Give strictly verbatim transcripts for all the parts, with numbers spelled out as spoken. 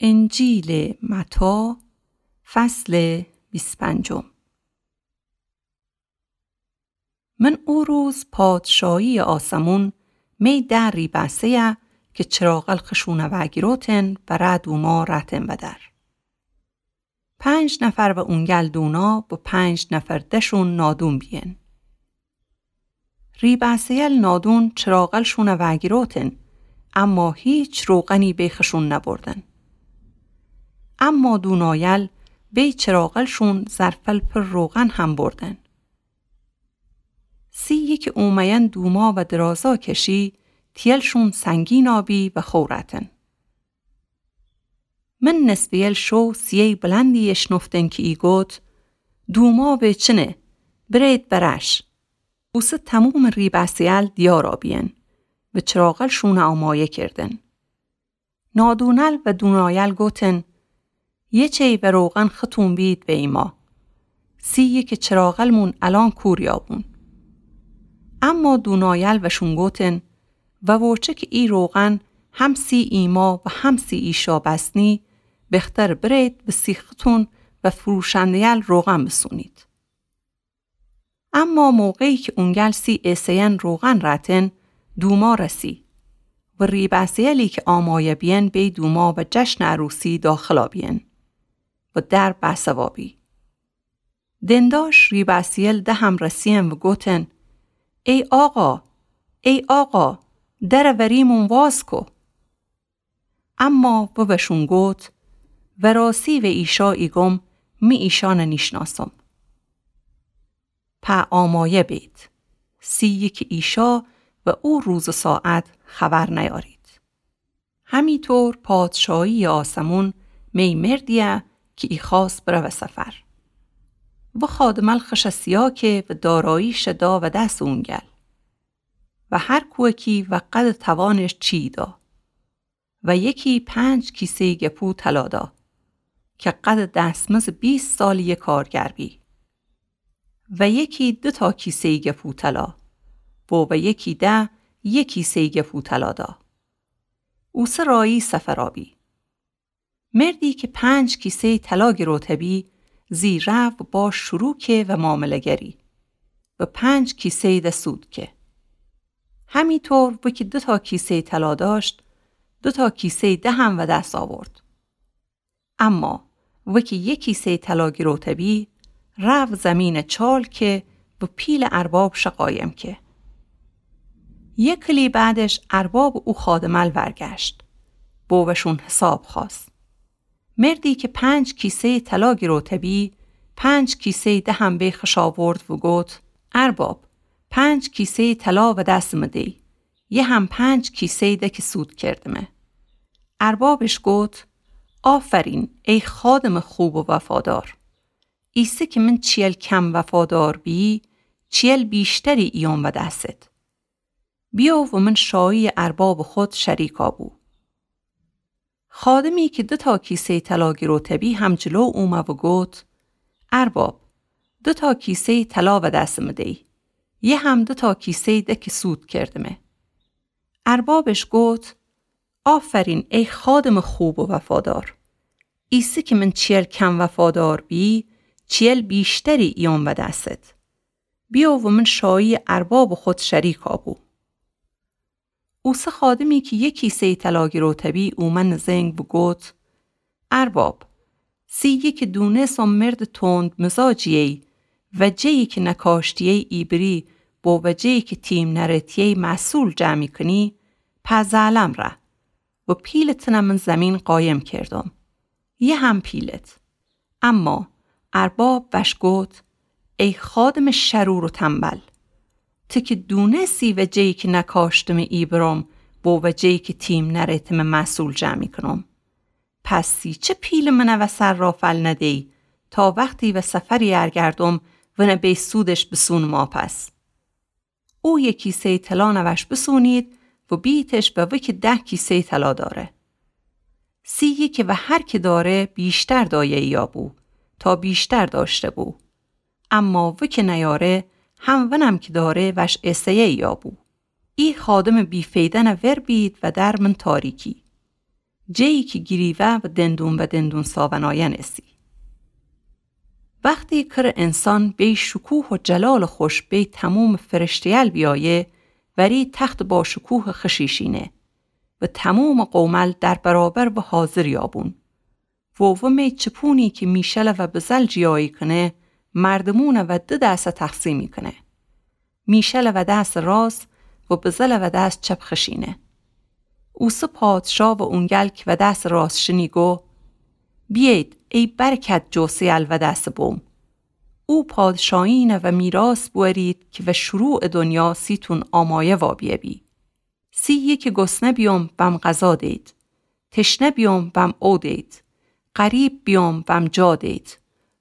انجیلٚ متی، فصلٚ بیست پنجم. من او روز پادشاهیٚ آسمون می ده ریبأسه‌یه کی چراغل خشونه وأگیروتن بره دوما رأتن ودر. پنج نفر و اونگل دونا و پنج نفر ده‌شون نادون بیین. ریبأسه‌یل نادون چراغلشونه وأگیروتن، اما هیچ روغنی به خشون نبردن. اما دونایل به چراغلشون ظرفل پر روغن هم بردن. سی یکی اومه‌ین دوما و درازا کشی، تیلشون سنگینا بی و خو رأتن. من نصفه‌یل شو صیحه‌یٚ بلندی اشنفتن کی ایگوت: دوما ویچینه، برید برش. اوسه تومومٚ ریبأسه‌یل دیارا بیین و چراغلشون آمایه کردن. نادونل و دونایل گوتن: یه چی و روغن ختون بید و ایما. سی یکی چراغلمون الأن کوریا بون. اما دونایل وشون گوتن: و ووچه کی ای روغن هم سی ایما و هم سی ایشا بسنی، بختر برید و سی ختون و فروشنده‌یل روغن بسونید. اما موقعی کی اونگل سی ایسه‌ین روغن رأتن، دوما رسی و ریبأسه‌یلی کی آمایه بیین بی دوما و جشنٚ عروسی داخلا بیین و در بأسوا بی. دنداش ریبأسه‌یل ده هم رسیین و گوتن: ای آقا، ای آقا، در وریمون واز کو. اما و وشون گوت: وراسی و ایشا ایگم، می ایشأن نیشناسم. په آمایه بید، سی یکی ایشا و او روز و ساعت خبر نیارید. همی طور پادشاهیٚ آسمون می مردیه کی ایخوأست بروه سفر. و خادمل خوشٚ سیا که و داراییش دا و دس اونگل. و هر کوکی و قدٚ توانش چی دا. و یکی پنج کیسه‌یٚ گپو طلا دا، کی قدٚ دستمزٚ بیست سالٚ یه کارگر بی. و یکی دوتا کیسه‌یٚ گپو طلا، و و یکی ده یه کیسه‌یٚ گپو طلا دا. اوسه رایی سفرا بی. مردی کی پنج کیسه‌یٚ طلا گیروته بی، زی ره و با شروع که و معامله‌گری و پنج کیسه‌یٚ ده سود که. همی طور وکی دوتا کیسه‌یٚ طلا داشت، دوتا کیسه‌یٚ ده هم و دس آورد. اما وکی یه کیسه‌یٚ طلا گیروته بی، رفت زیمینه چال که و پیلٚ اربابشه قایم که. یه کلی بعدش اربابٚ او خادمل ورگشت، بو وشون حساب خواست. مردی کی پنج کیسه‌یٚ طلا گیروته بی، پنج کیسه‌یٚ ده هم به خوش آورد و گوت: ارباب، پنج کیسه‌یٚ طلا و دس مه دی، یه هم پنج کیسه‌یٚ ده کی سود کردمه. اربابش گوت: آفرین، ای خادمٚ خوب و وفادار. ایسه کی من چیل کم وفادار بی، چیل بیشتری ایون و دست. بیو و من شاییٚ اربابٚ خود شریکا بو. خادمی کی دوتا کیسه‌یٚ طلا گیروته بی هم جلو اومه و گوت: ارباب، دوتا کیسه‌یٚ طلا و دس مه دی، یه هم دوتا کیسه‌یٚ ده کی سود کردمه. اربابش گوت: آفرین، ای خادمٚ خوب و وفادار. ایسه کی من چیل کم وفادار بی، چیل بیشتری ایون و دست. بیو و من شاییٚ اربابٚ خود شریکا بو. اوسه خادمی کی یه کیسه‌یٚ طلا گیروته بی اومه نزنگ و گوت: ارباب، سی یکی دونسم مردٚ تند مزاجیی و جه‌یی کی نکاشتیی ایبری بو و جه‌یی کی تیم نرتیی محصول جمع کنی، په زالم ره و پیلٚ تنه من زیمین قایم کردم. یه هم پیلت. اما ارباب وش گوت: ای خادمٚ شرور و تنبل، تی کی دونسی و جه‌یی کی نکاشتمه ایبرم بو و جه‌یی کی تیم نرتمه محصول جمع کنم، پس سی چه پیلٚ منه و سر را فل ندی تا وختی و سفری ارگردم ونه به سودش بسونم واپس؟ او یه کیسه‌یٚ طلا نوش بسونید و بیتش و وکی ده کیسه‌یٚ طلا داره. سی یکی و هر کی داره بیشتر دایه‌ییا بو تا بیشتر داشته بو. اما وکی نیاره هم ونم کی داره وش ایسه‌یه‌ییا بو. ای خادمٚ بی‌فیدأنه ور بید و در من تاریکی. جه‌یی کی گیریوه و دندون به دندون ساونایأن ایسی. وختی کر انسان بی شکوه و جلال خوش بی تموم فرشته‌یل بیایه، وری تخت باشکوه خشی شینه و تموم قومل در برابر و حاضر یابون. و ومی چپونی کی میشل و بزل جیایی کنه، مردمون و ده دسه تقسیمی کنه. میشل و دس راس و بزل و دس چپ خشینه. اوسه پادشا و اونگل کی و دس راس شینی گو: بیید ای برکت جوسه‌یل و دس بوم. او پادشایین و میراث بورید کی و شروع دنیا سیتون آمایه وابیه بی. سی یکی گسنه بیوم وم غذا دید. تشنه بیوم وم او دید. غریب بیوم وم جا دید.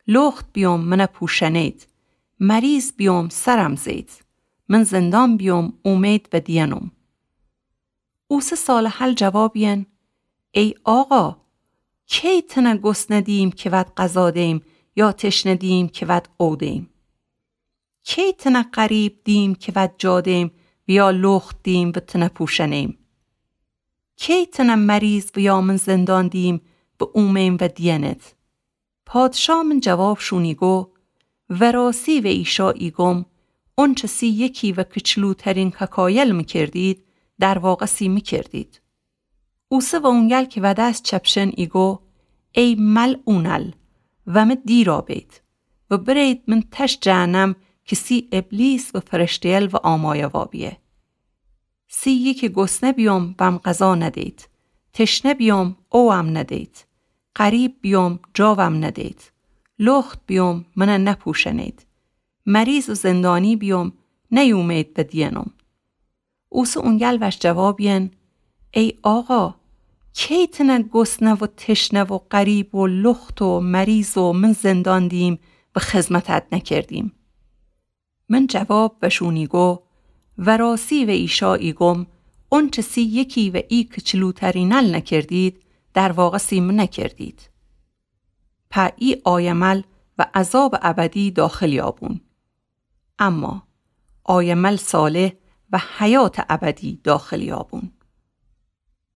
لخت بیوم من پوشنید. مریض بیوم سرم زید. من زندان بیوم اومید و دیئنم. اوسه صالحل جواب یئن: ای آقا، کی تنه گسنه دیم کی وت غذا دیم یا تشنه دیم کی وت او دیم؟ کی تنه غریب دیم کی وت جا دیم و یا لخت دیم و تنه پوشنیم؟ کی تنه مریض و یا من زندان دیم و اومیم و دیئنت؟ پادشا من جواب شونی گو: وراسی و ایشا ایگم، اونچه سی یکی و کچلوترین کاکایل مکردید، در واقع سی مکردید. اوسه و اونگل کی و دس چپ شین ایگو: ای ملعونل، ومه دیرا بید و برید من تش جهنم کی سی ابلیس و فرشته‌یل و آمایه وابیه. سی یکی گسنه بیوم وم غذا ندید. تشنه بیوم اووم ندید. غریب بیوم جاوم ندید. لخت بیوم منه نپوشنید. مریض و زندانی بیوم نیومید و دیئنم. اوسه اونگل وش جواب یئن: ای آقا، کی تنه گسنه و تشنه و غریب و لخت و مریض و من زندان دیم و خدمتت نکردیم؟ من جواب وشونی گو: وراسی و ایشا ایگم، اونچه سی یکی و ای کچلوترینل نکردید، در واقع سی من نکردید. په ای آیمل و عذاب ابدی داخل یابون. اما آیمل صالح و حیات ابدی داخل یابون.